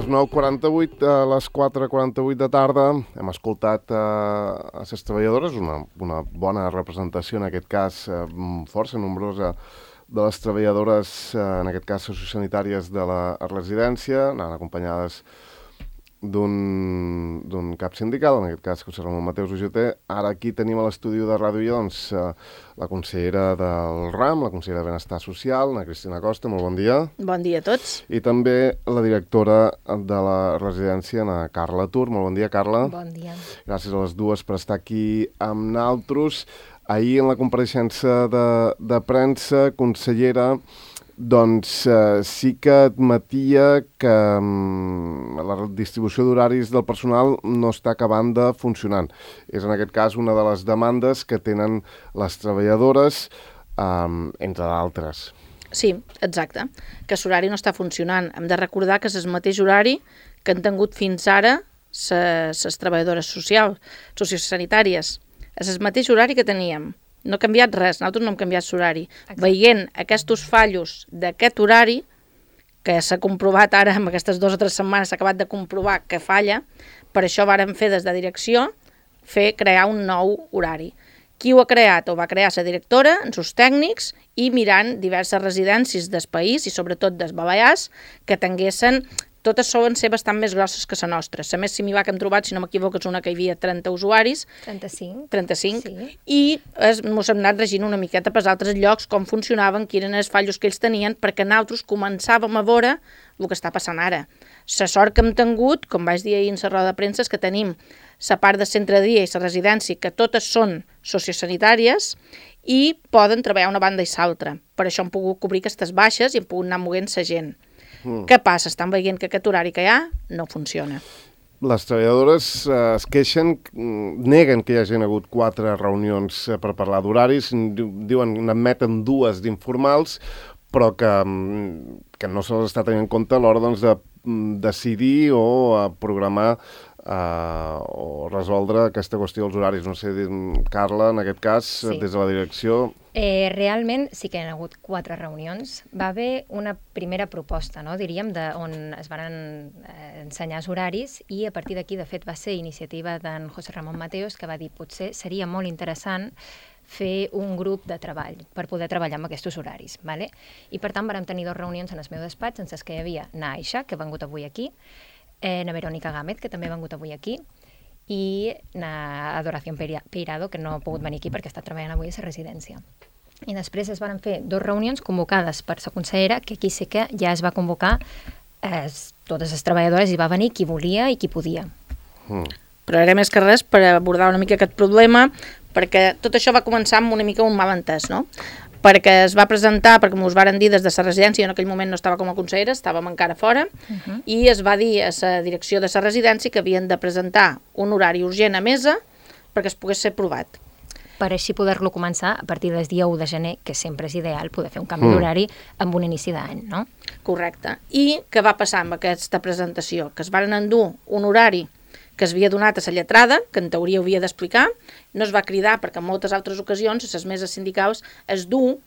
les 9:48, a les 4:48 de tarda, hem escoltat a les treballadores, una bona representació, en aquest cas força nombrosa, de les treballadores, en aquest cas sociosanitàries de la residència, anant acompanyades d'un cap sindical, en aquest cas José Ramon Mateos, UGT. Ara aquí tenim a l'estudi de Ràdio Illa la consellera del RAM, la consellera de Benestar Social, Ana Cristina Costa, molt bon dia. Bon dia a tots. I també la directora de la residència, Ana Carla Tur. Molt bon dia, Carla. Bon dia. Gràcies a les dues per estar aquí amb naltros. Ahir, en la compareixença de premsa, consellera, doncs sí que admetia que la distribució d'horaris del personal no està acabant de funcionar. És en aquest cas una de les demandes que tenen les treballadores, entre d'altres. Sí, exacte, que l'horari no està funcionant. Hem de recordar que és el mateix horari que han tingut fins ara les treballadores sociosanitàries. És el mateix horari que teníem. No ha canviat res, nosaltres no hem canviat l'horari. Veient aquests fallos d'aquest horari, que s'ha comprovat ara, en aquestes 2 o 3 setmanes s'ha acabat de comprovar que falla, per això vàrem fer des de direcció, crear un nou horari. Qui ho ha creat? Ho va crear la directora, els seus tècnics, i mirant diverses residències del país, i sobretot dels Balears, que tinguessin. Totes solen ser bastant més grosses que la nostra. La més similar que hem trobat, si no m'equivoco, és una que hi havia 30 usuaris. 35. Sí. I ens hem anat regint una miqueta per altres llocs, com funcionaven, quins eren els fallos que ells tenien, perquè nosaltres començàvem a veure el que està passant ara. La sort que hem tingut, com vaig dir ahir en la roda de premsa, és que tenim la part de centre de dia i la residència, que totes són sociosanitàries i poden treballar una banda i l'altra. Per això hem pogut cobrir aquestes baixes i hem pogut anar movent la gent. Què passa? Estan veient que aquest horari que hi ha no funciona. Les treballadores es queixen, neguen que hi hagin hagut 4 reunions per parlar d'horaris, diuen, n'admeten 2 d'informals, però que no se les està tenint en compte a l'hora de decidir o programar o resoldre aquesta qüestió dels horaris. No sé, Carla, en aquest cas, sí. Des de la direcció... Realment sí que hi ha hagut 4 reunions. Va haver una primera proposta, no? Diríem, on es van ensenyar els horaris, i a partir d'aquí, de fet, va ser iniciativa d'en José Ramon Mateos, que va dir potser seria molt interessant fer un grup de treball per poder treballar amb aquests horaris. ¿Vale? I per tant vam tenir 2 reunions en el meu despatx, en les que hi havia na Aisha, que ha vengut avui aquí, na Verònica Gámez, que també ha vengut avui aquí, i na Adoración Peirado, que no ha pogut venir aquí perquè està treballant avui a la residència. I després es van fer 2 reunions convocades per la consellera, que aquí sí que ja es va convocar totes les treballadores, i va venir qui volia i qui podia. Però era més que res per abordar una mica aquest problema, perquè tot això va començar amb una mica un malentès, no? Perquè es va presentar, perquè m'ho varen dir des de la residència, jo en aquell moment no estava com a consellera, estàvem encara fora, i es va dir a la direcció de la residència que havien de presentar un horari urgent a mesa perquè es pogués ser aprovat. Per així poder-lo començar a partir del dia 1 de gener, que sempre és ideal poder fer un canvi d'horari amb un inici d'any, no? Correcte. I què va passar amb aquesta presentació? Que es van endur un horari que es havia donat a la lletrada, que en teoria havia d'explicar, no es va cridar perquè en moltes altres ocasions, a les meses sindicals, es du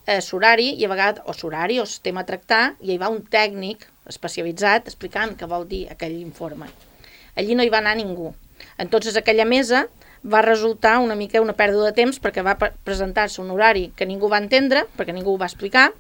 l'horari i a vegades, o l'horari o el tema a tractar, i hi va un tècnic especialitzat explicant què vol dir aquell informe. Allí no hi va anar ningú. Entonces aquella mesa va resultar una mica una pèrdua de temps perquè va presentar-se un horari que ningú va entendre, perquè ningú ho va explicar,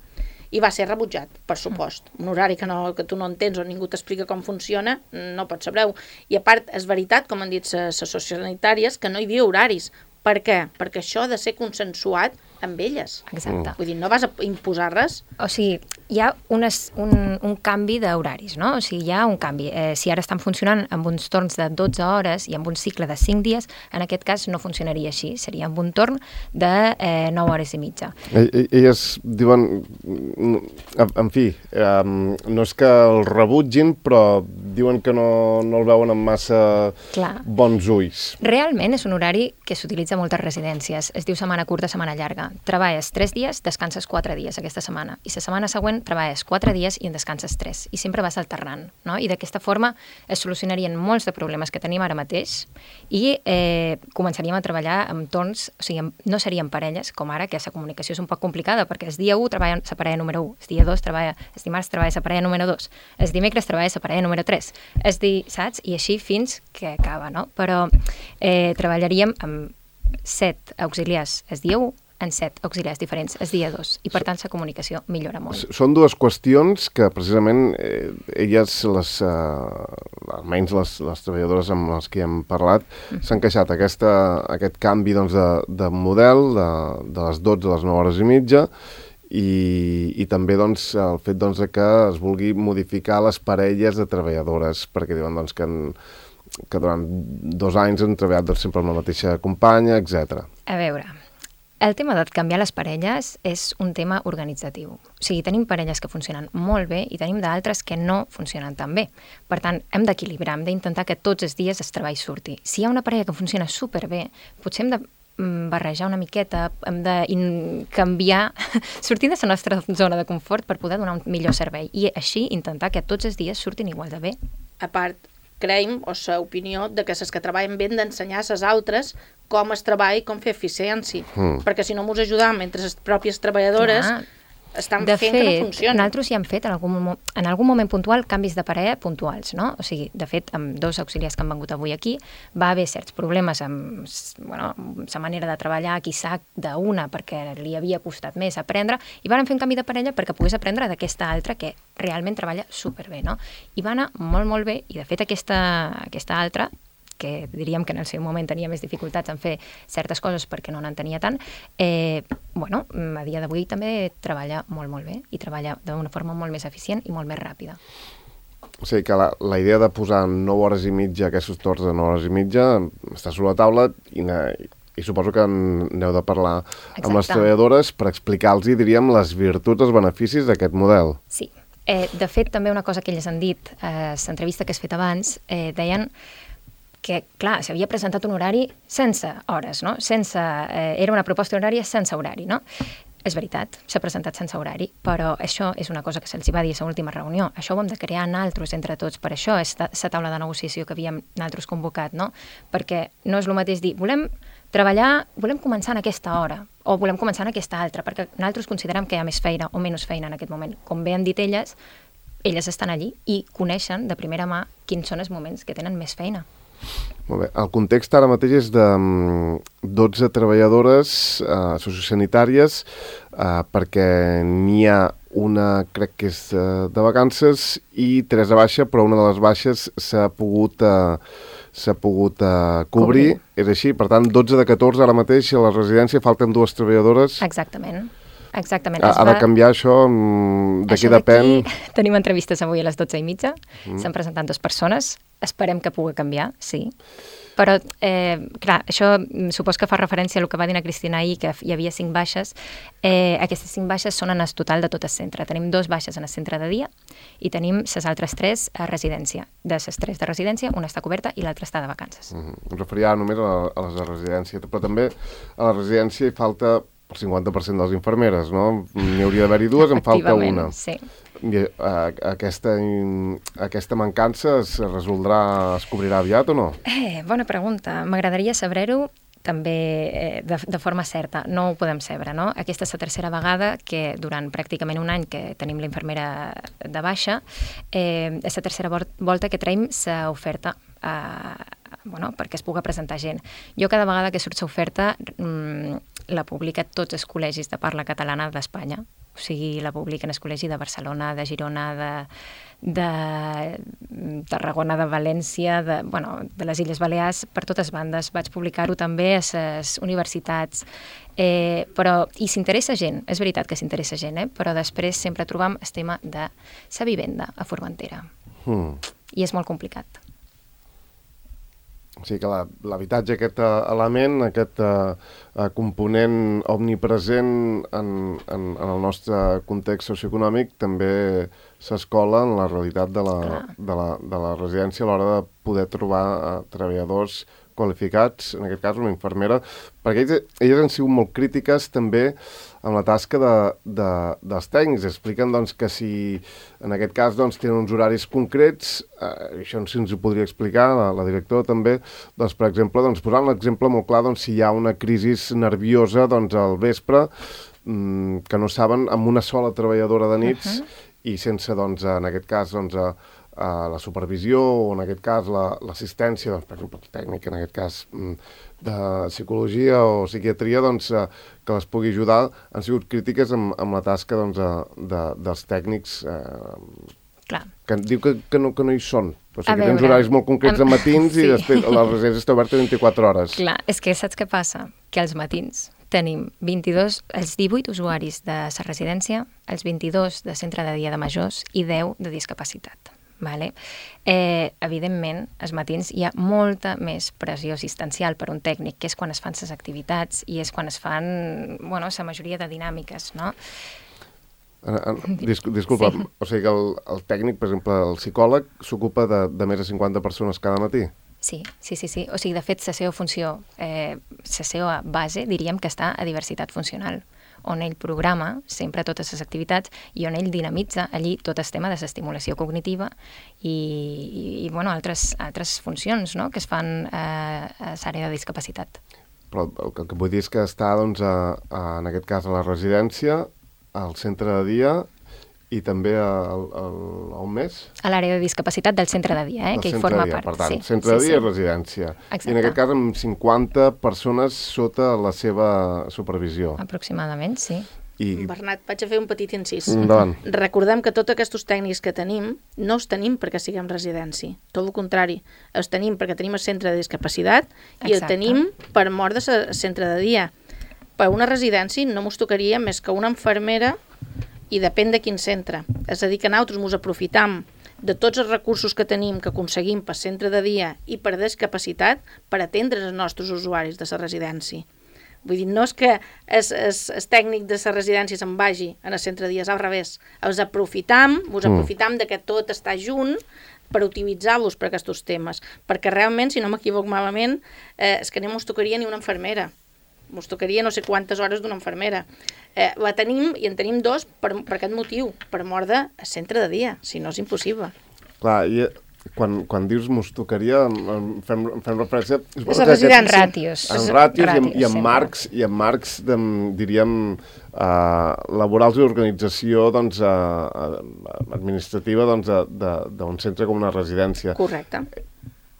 i va ser rebutjat, per supost. Un horari que tu no entens o ningú t'explica com funciona, no pots saber-ho. I a part, és veritat, com han dit les sociosanitàries, que no hi havia horaris. Per què? Perquè això ha de ser consensuat amb elles. Exacte. Vull dir, no vas a imposar res. O sigui, hi ha un canvi d'horaris, no? O sigui, hi ha un canvi. Si ara estan funcionant amb uns torns de 12 hores i amb un cicle de 5 dies, en aquest cas no funcionaria així. Seria amb un torn de 9 hores i mitja. Elles diuen, en fi, no és que el rebutgin, però diuen que no el veuen amb massa bons ulls. Realment és un horari que s'utilitza a moltes residències. Es diu setmana curta, setmana llarga. Treballes 3 dies, descanses 4 dies aquesta setmana. I la setmana següent treballes 4 dies i en descanses 3. I sempre vas alternant, no? I d'aquesta forma es solucionarien molts de problemes que tenim ara mateix i començaríem a treballar amb torns, o sigui, no serien parelles, com ara, que la comunicació és un poc complicada, perquè el dia 1 treballa la parella número 1, el dia 2 el dimarts treballa la parella número 2, el dimecres treballa la parella número 3, saps? I així fins que acaba, no? Però treballaríem amb 7 auxiliars el dia 1, en 7 auxiliars diferents el dia 2, i per tant la comunicació millora molt. Són dues qüestions que precisament elles, almenys les treballadores amb les que hem parlat, s'han queixat aquest canvi de model de les 12 a les 9 hores i mitja, i també el fet que es vulgui modificar les parelles de treballadores, perquè diuen que durant 2 anys han treballat sempre amb la mateixa companya, etc. A veure, el tema de canviar les parelles és un tema organitzatiu. O sigui, tenim parelles que funcionen molt bé i tenim d'altres que no funcionen tan bé. Per tant, hem d'equilibrar, hem d'intentar que tots els dies el treball surti. Si hi ha una parella que funciona superbé, potser hem de barrejar una miqueta, hem de canviar, sortir de la nostra zona de confort per poder donar un millor servei i així intentar que tots els dies surtin igual de bé. A part, creiem, o l'opinió, de que les que treballen bé han d'ensenyar a les altres com es treballa i com fer eficiència. Perquè si no ens ajudam entre les pròpies treballadores, estan fent que no funcioni. Nosaltres ja hem fet en algun moment puntual canvis de parella puntuals, no? O sigui, de fet, amb 2 auxiliars que han vengut avui aquí, va haver certs problemes amb la manera de treballar, quizà d'una, perquè li havia costat més aprendre, i van fer un canvi de parella perquè pogués aprendre d'aquesta altra que realment treballa superbé, no? I va anar molt, molt bé, i de fet aquesta altra, que diríem que en el seu moment tenia més dificultats en fer certes coses perquè no n'entenia tant, a dia d'avui també treballa molt, molt bé i treballa d'una forma molt més eficient i molt més ràpida. O sigui que la idea de posar 9 hores i mitja, aquests torns de 9 hores i mitja, està sobre la taula i suposo que n'heu de parlar amb les treballadores per explicar-los, diríem, les virtuts, els beneficis d'aquest model. Sí. De fet, també una cosa que elles han dit a l'entrevista que has fet abans, deien que, clar, s'havia presentat un horari sense hores, no? Era una proposta horària sense horari, no? És veritat, s'ha presentat sense horari, però això és una cosa que se'ls va dir a l'última reunió. Això ho hem de crear nosaltres entre tots, per això és la taula de negociació que havíem nosaltres convocat, no? Perquè no és el mateix dir, volem començar en aquesta hora, o volem començar en aquesta altra, perquè nosaltres considerem que hi ha més feina o menys feina en aquest moment. Com bé han dit elles estan allí i coneixen de primera mà quins són els moments que tenen més feina. Molt bé. El context ara mateix és de 12 treballadores sociosanitàries perquè n'hi ha una, crec que és de vacances, i 3 de baixa, però una de les baixes s'ha pogut cobrir. És així? Per tant, 12 de 14 ara mateix a la residència, falten 2 treballadores. Exactament. Ha de canviar això? De què depèn? Tenim entrevistes avui a les 12:30, s'han presentat 2 persones, esperem que pugui canviar, sí. Però, clar, això supos que fa referència a el que va dir la Cristina ahir, que hi havia 5 baixes. Aquestes 5 baixes són en el total de tot el centre. Tenim 2 baixes en el centre de dia i tenim les altres 3 a residència. De les 3 de residència, una està coberta i l'altra està de vacances. Em referia només a les de residència, però també a la residència hi falta el 50% de les infermeres, no? N'hi hauria d'haver-hi 2, en falta una. Sí. I aquesta mancança es cobrirà aviat o no? Bona pregunta. M'agradaria saber-ho també de forma certa. No ho podem saber, no? Aquesta és la tercera vegada que durant pràcticament un any que tenim la infermera de baixa, és la tercera volta que traiem l'oferta perquè es pugui presentar gent. Jo cada vegada que surt l'oferta la publica tots els col·legis de parla catalana d'Espanya. O sigui, la publiquen els col·legis de Barcelona, de Girona, de Tarragona, de València, de les Illes Balears, per totes bandes. Vaig publicar-ho també a les universitats. I s'interessa gent, és veritat que s'interessa gent, però després sempre trobam el tema de la vivenda a Formentera. I és molt complicat. O sigui que l'habitatge, aquest element, aquest component omnipresent en el nostre context socioeconòmic també s'escola en la realitat de la residència a l'hora de poder trobar treballadors qualificats, en aquest cas una infermera, perquè elles han sigut molt crítiques també amb la tasca dels tècnics. Expliquen doncs, que si en aquest cas doncs, tenen uns horaris concrets, això sí ens ho podria explicar la directora també, doncs, per exemple, doncs, posant l'exemple molt clar, doncs, si hi ha una crisi nerviosa doncs, al vespre, que no saben amb una sola treballadora de nits i sense, doncs, en aquest cas, doncs, la supervisió o en aquest cas l'assistència, doncs, per exemple, el tècnic, en aquest cas de psicologia o psiquiatria, doncs, que les pugui ajudar, han sigut crítiques amb la tasca doncs, dels tècnics que diu que no hi són. O sigui, que tens horaris molt concrets de matins i després la residència està oberta 24 hores. Clar, és que saps què passa? Que als matins tenim els 18 usuaris de la residència, els 22 de centre de dia de majors i 10 de discapacitat. Vale? Evidentment, als matins hi ha molta més pressió assistencial per un tècnic, que és quan es fan les activitats i és quan es fan, la majoria de dinàmiques, no? Disculpa, sí. O sigui que el tècnic, per exemple, el psicòleg, s'ocupa de més de 50 persones cada matí? Sí. O sigui, de fet, la seva funció, la seva base, diríem que està a diversitat funcional, on ell programa sempre totes les activitats i on ell dinamitza allí tot el tema de l'estimulació cognitiva i altres funcions, no?, que es fan a l'àrea de discapacitat. Però el que vull dir és que està, doncs, en aquest cas, a la residència, al centre de dia i també on més? A l'àrea de discapacitat del centre de dia, que hi forma part. Per tant, centre de dia i residència. Exacte. I en aquest cas amb 50 persones sota la seva supervisió. Aproximadament, sí. Bernat, vaig a fer un petit incís. Endavant. Recordem que tots aquests tècnics que tenim no els tenim perquè siguem residència. Tot el contrari. Els tenim perquè tenim el centre de discapacitat i el tenim per mort de centre de dia. Per una residència no mos tocaria més que una infermera i depèn de quin centre. És a dir, que nosaltres ens aprofitam de tots els recursos que tenim, que aconseguim per centre de dia i per discapacitat, per atendre els nostres usuaris de la residència. Vull dir, no és que el tècnic de la residència se'n vagi en el centre de dia, és al revés. Ens aprofitam de que tot està junt per utilitzar-los per aquests temes. Perquè realment, si no m'equivoco malament, és que no ens tocaria ni una infermera. Ens tocaria no sé quantes hores d'una infermera. La tenim i en tenim dos per aquest motiu, per mort de centre de dia, si no és impossible. Clar, i quan dius mos tocaria, fem referència... És a residents. En ràtios. En ràtios i en marcs, diríem, laborals i organització administrativa d'un centre com una residència. Correcte.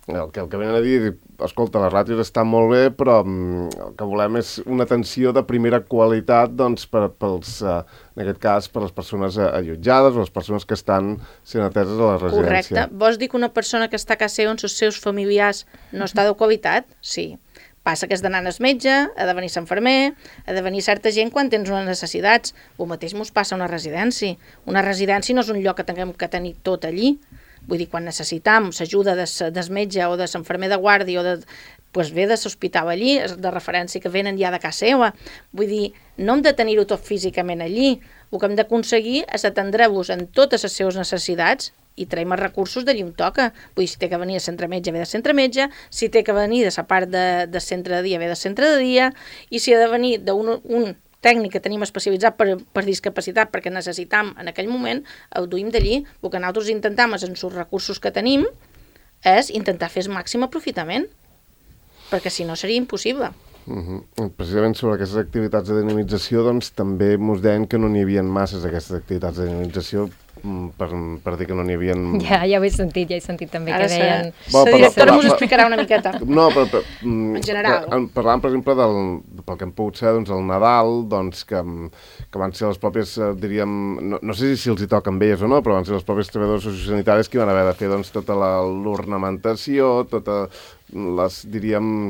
El que venen a dir, escolta, les ràtios estan molt bé, però el que volem és una atenció de primera qualitat, doncs, en aquest cas, per les persones allotjades o les persones que estan sent ateses a la residència. Correcte. Vols dir que una persona que està a casa seva amb els seus familiars no està de qualitat? Sí. Passa que has d'anar al metge, ha de venir l'infermer, ha de venir certa gent quan tens unes necessitats. El mateix mos passa a una residència. Una residència no és un lloc que tinguem que tenir tot allí. Vull dir, quan necessitam l'ajuda del metge o de l'infermer de guàrdia o de l'hospital allí, de referència que venen ja de casa seva. Vull dir, no hem de tenir-ho tot físicament allí. El que hem d'aconseguir és atendre-vos en totes les seves necessitats i traiem els recursos d'allí on toca. Vull dir, si té que venir a centre metge, ve de centre metge, si té que venir de la part de centre de dia, ve de centre de dia, i si ha de venir d'un tècnic que tenim especialitzat per discapacitat perquè necessitam en aquell moment, el duim d'allí. El que nosaltres intentem és, en els recursos que tenim, és intentar fer el màxim aprofitament, perquè si no seria impossible. Precisament sobre aquestes activitats de dinamització, doncs també ens deien que no n'hi havia masses aquestes activitats de dinamització, per dir que no n'hi havia... Ja ho he sentit també que deien... La directora m'ho explicarà una miqueta. No, però en general. Parlàvem, per exemple, pel que hem pogut ser, doncs, el Nadal, doncs, que van ser les pròpies, diríem, no sé si els hi toca amb elles o no, però van ser les pròpies treballadores sociosanitàries que van haver de fer, doncs, tota l'ornamentació, totes les, diríem...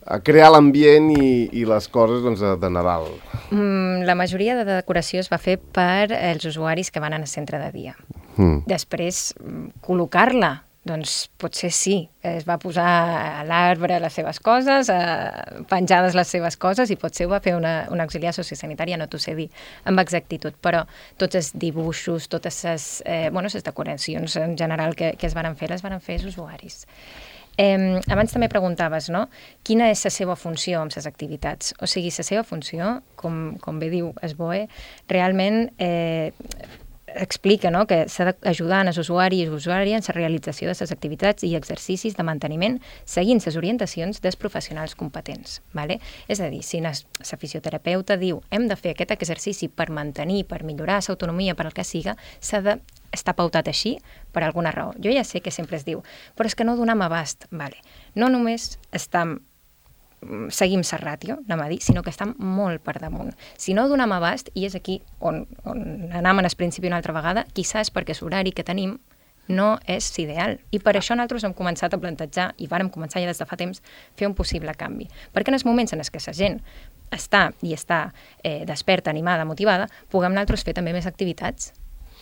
a crear l'ambient i les coses, doncs, de Nadal. La majoria de decoració es va fer per els usuaris que van al centre de dia. Després, col·locar-la Doncs potser sí, es va posar a l'arbre les seves coses, penjades les seves coses, i potser ho va fer una auxiliar sociosanitària, no t'ho sé dir amb exactitud, però tots els dibuixos, totes les decoracions en general que es van fer, les van fer els usuaris. Abans també preguntaves, no? Quina és la seva funció amb les activitats? O sigui, la seva funció, com bé diu SBOE, realment explica, no?, que s'ha d'ajudar els usuaris i usuàries en la realització de les activitats i exercicis de manteniment seguint les orientacions dels professionals competents. Vale? És a dir, si la fisioterapeuta diu hem de fer aquest exercici per mantenir, per millorar l'autonomia, per el que siga, s'ha d'estar pautat així per alguna raó. Jo ja sé que sempre es diu, però és que no donem abast. Vale. No només seguim la ràtio, anem a dir, sinó que estem molt per damunt. Si no donem abast, i és aquí on anem al principi una altra vegada, quizás perquè l'horari que tenim no és ideal. I per això nosaltres hem començat a plantejar, i vàrem començar ja des de fa temps, fer un possible canvi. Perquè en els moments en què la gent està desperta, animada, motivada, puguem nosaltres fer també més activitats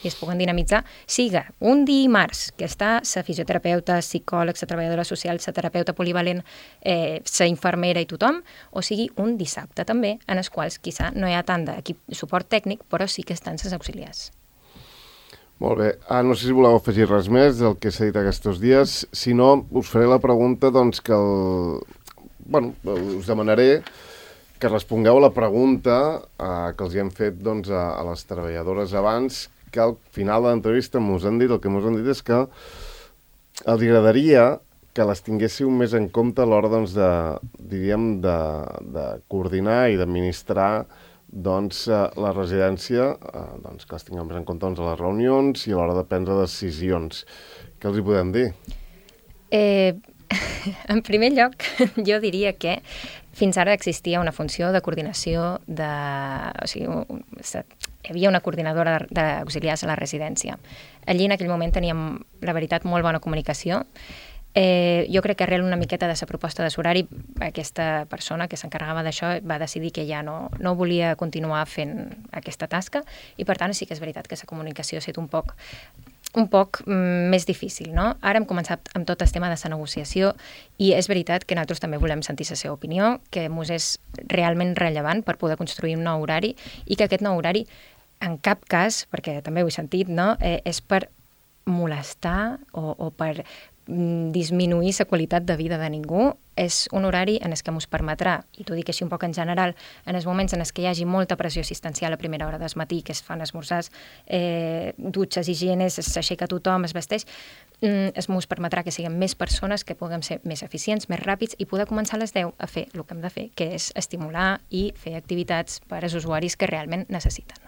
i es puguen dinamitzar, siga un dimarts que està la fisioterapeuta, psicòleg, la treballadora social, la terapeuta polivalent, la infermera i tothom, o sigui un dissabte també, en els quals quizà no hi ha tant d'equip suport tècnic, però sí que estan les auxiliars. Molt bé. No sé si voleu afegir res més del que s'ha dit aquests dies. Si no, us faré la pregunta doncs, que us demanaré que respongueu a la pregunta que els hi hem fet doncs, a les treballadores abans, que al final de l'entrevista el que mos han dit és que els agradaria que les tinguéssiu més en compte a l'hora doncs, de coordinar i d'administrar doncs, la residència, doncs, que les tinguem més en compte doncs, a les reunions i a l'hora de prendre decisions. Què els hi podem dir? En primer lloc, jo diria que fins ara existia una funció de coordinació hi havia una coordinadora d'auxiliars a la residència. Allí en aquell moment teníem, la veritat, molt bona comunicació. Jo crec que arrel una miqueta de la proposta de l'horari, aquesta persona que s'encarregava d'això va decidir que ja no volia continuar fent aquesta tasca i, per tant, sí que és veritat que la comunicació ha estat un poc més difícil, no? Ara hem començat amb tot el tema de la negociació i és veritat que nosaltres també volem sentir la seva opinió, que mos és realment rellevant per poder construir un nou horari i que aquest nou horari en cap cas, perquè també ho he sentit, no? És per molestar o per disminuir la qualitat de vida de ningú. És un horari en què ens permetrà, i t'ho dic així un poc en general, en els moments en què hi hagi molta pressió assistencial a primera hora del matí, que es fan esmorzars, dutxes, higienes, s'aixeca tothom, es vesteix, es ens permetrà que siguem més persones, que puguem ser més eficients, més ràpids i poder començar a les 10 a fer el que hem de fer, que és estimular i fer activitats per als usuaris que realment necessiten.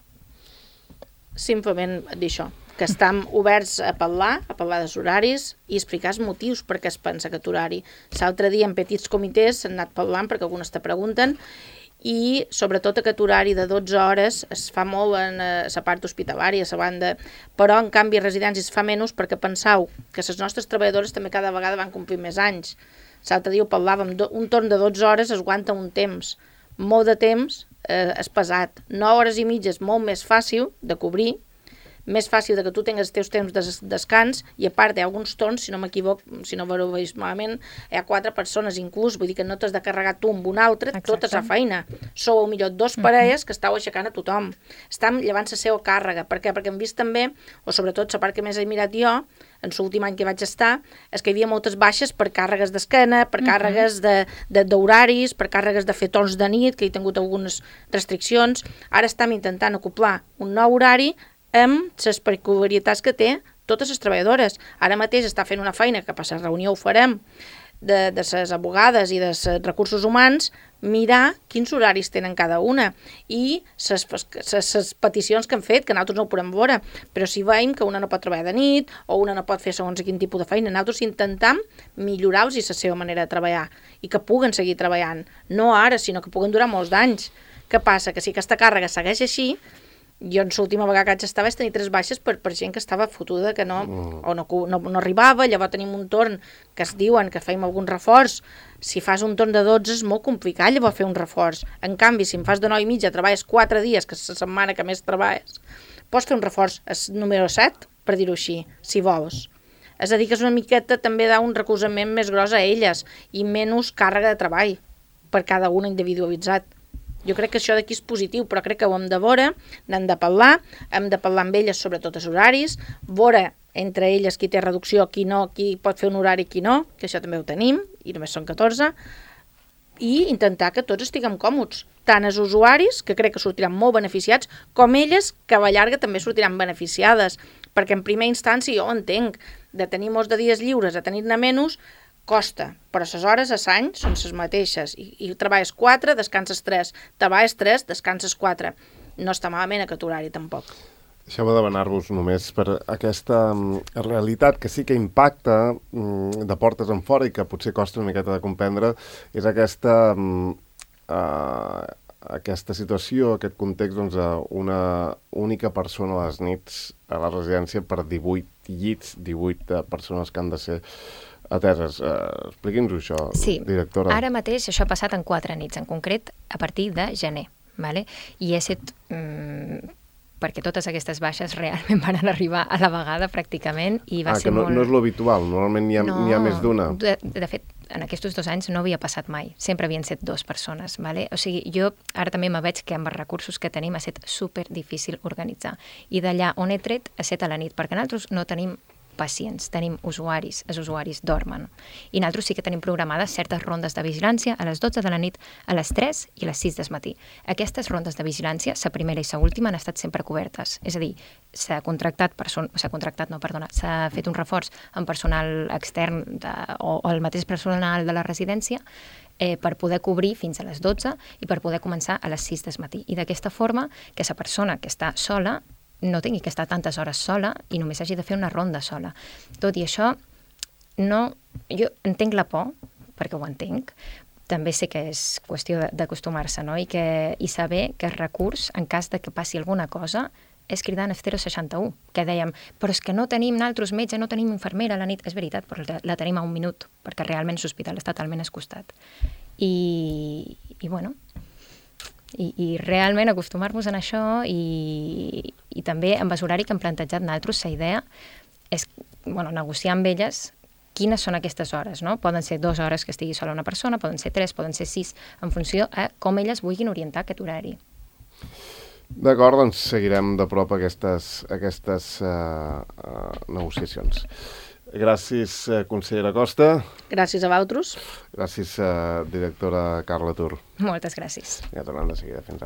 Simplement dir això, que estem oberts a parlar dels horaris i explicar els motius per què es pensa aquest horari. L'altre dia en petits comitès s'han anat parlant perquè algunes te pregunten i sobretot aquest horari de 12 hores es fa molt en la part hospitalària, a la banda, però en canvi a residències es fa menys perquè penseu que les nostres treballadores també cada vegada van complir més anys. L'altre dia ho parlàvem, un torn de 12 hores es aguanta un temps, molt de temps és pesat. 9 hores i mitja és molt més fàcil de cobrir, més fàcil que tu tingues els teus temps de descans i a part hi ha alguns torns, si no m'equivoc, si no ho veig malament, hi ha 4 persones inclús, vull dir que no t'has de carregar tu amb un altre, tota la feina. Sou millor 2 parelles que estàu aixecant a tothom. Estan llevant la seva càrrega. Per què? Perquè hem vist també, o sobretot la part que més he mirat jo, en l'últim any que vaig estar, és que hi havia moltes baixes per càrregues d'esquena, per càrregues d'horaris, per càrregues de fer torns de nit, que hi ha tingut algunes restriccions. Ara estem intentant acoplar un nou horari amb les peculiaritats que té totes les treballadores. Ara mateix està fent una feina, que per la reunió ho farem, de les abogades i dels recursos humans, mirar quins horaris tenen cada una i les peticions que han fet, que nosaltres no ho podem veure, però si veiem que una no pot treballar de nit o una no pot fer segons quin tipus de feina, nosaltres intentem millorar-los la seva manera de treballar i que puguen seguir treballant, no ara, sinó que puguen durar molts d'anys. Què passa? Que si aquesta càrrega segueix així, jo en l'última vegada que vaig estar vaig tenir 3 baixes per gent que estava fotuda, que no arribava. Llavors tenim un torn que es diuen que fèiem algun reforç. Si fas un torn de 12 és molt complicat llavors fer un reforç. En canvi, si em fas de 9 i mitja, treballes 4 dies, que és la setmana que més treballes, pots fer un reforç, és número 7, per dir-ho així, si vols. És a dir, que és una miqueta també d'un recolzament més gros a elles i menys càrrega de treball per cada una individualitzat. Jo crec que això d'aquí és positiu, però crec que ho hem de veure, n'hem de parlar amb elles sobre tots els horaris, veure entre elles qui té reducció, qui no, qui pot fer un horari, qui no, que això també ho tenim, i només són 14, i intentar que tots estiguem còmodes, tant els usuaris, que crec que sortiran molt beneficiats, com elles, que a la llarga també sortiran beneficiades, perquè en primera instància jo ho entenc, de tenir molts de dies lliures a tenir-ne menys, costa, però les hores a l'any són les mateixes, i treballes 4, descanses 3, treballes 3, descanses 4. No està malament aquest horari, tampoc. Deixeu-me demanar-vos només per aquesta realitat que sí que impacta de portes en fora i que potser costa una miqueta de comprendre, és aquesta situació, aquest context, doncs, una única persona a les nits a la residència per 18 llits, 18 persones que han de ser ateses. Expliqui'ns-ho això, directora. Ara mateix això ha passat en 4 nits, en concret a partir de gener, vale? I he set... perquè totes aquestes baixes realment van arribar a la vegada pràcticament i va ser molt... no és l'habitual, normalment n'hi ha més d'una. De fet, en aquests 2 anys no havia passat mai, sempre havien set 2 persones, vale? O sigui, jo ara també me veig que amb els recursos que tenim ha estat super difícil organitzar. I d'allà on he tret, a 7 a la nit, perquè nosaltres no tenim pacients, tenim usuaris, els usuaris dormen. I nosaltres sí que tenim programades certes rondes de vigilància a les 12 de la nit, a les 3 i a les 6 del matí. Aquestes rondes de vigilància, la primera i la última, han estat sempre cobertes. És a dir, s'ha fet un reforç amb personal extern o el mateix personal de la residència per poder cobrir fins a les 12 i per poder començar a les 6 del matí. I d'aquesta forma que la persona que està sola no tingui que estar tantes hores sola i només hagi de fer una ronda sola. Tot i això, jo entenc la por, perquè ho entenc, també sé que és qüestió d'acostumar-se, no? I saber que el recurs, en cas de que passi alguna cosa, és cridar en el 061, que dèiem, però és que no tenim nosaltres metge, no tenim infermera a la nit. És veritat, però la tenim a 1 minut, perquè realment l'hospital està talment escostat. I bueno... I realment acostumar-nos a això i també amb el horari que hem plantejat nosaltres, la idea és negociar amb elles quines són aquestes hores, no? Poden ser 2 hores que estigui sola una persona, poden ser 3, poden ser 6, en funció a com elles vulguin orientar aquest horari. D'acord, doncs seguirem de prop aquestes negociacions. Gràcies, consellera Costa. Gràcies a vosaltres. Gràcies, directora Carla Tur. Moltes gràcies. Ja tornem de seguida. Fins ara.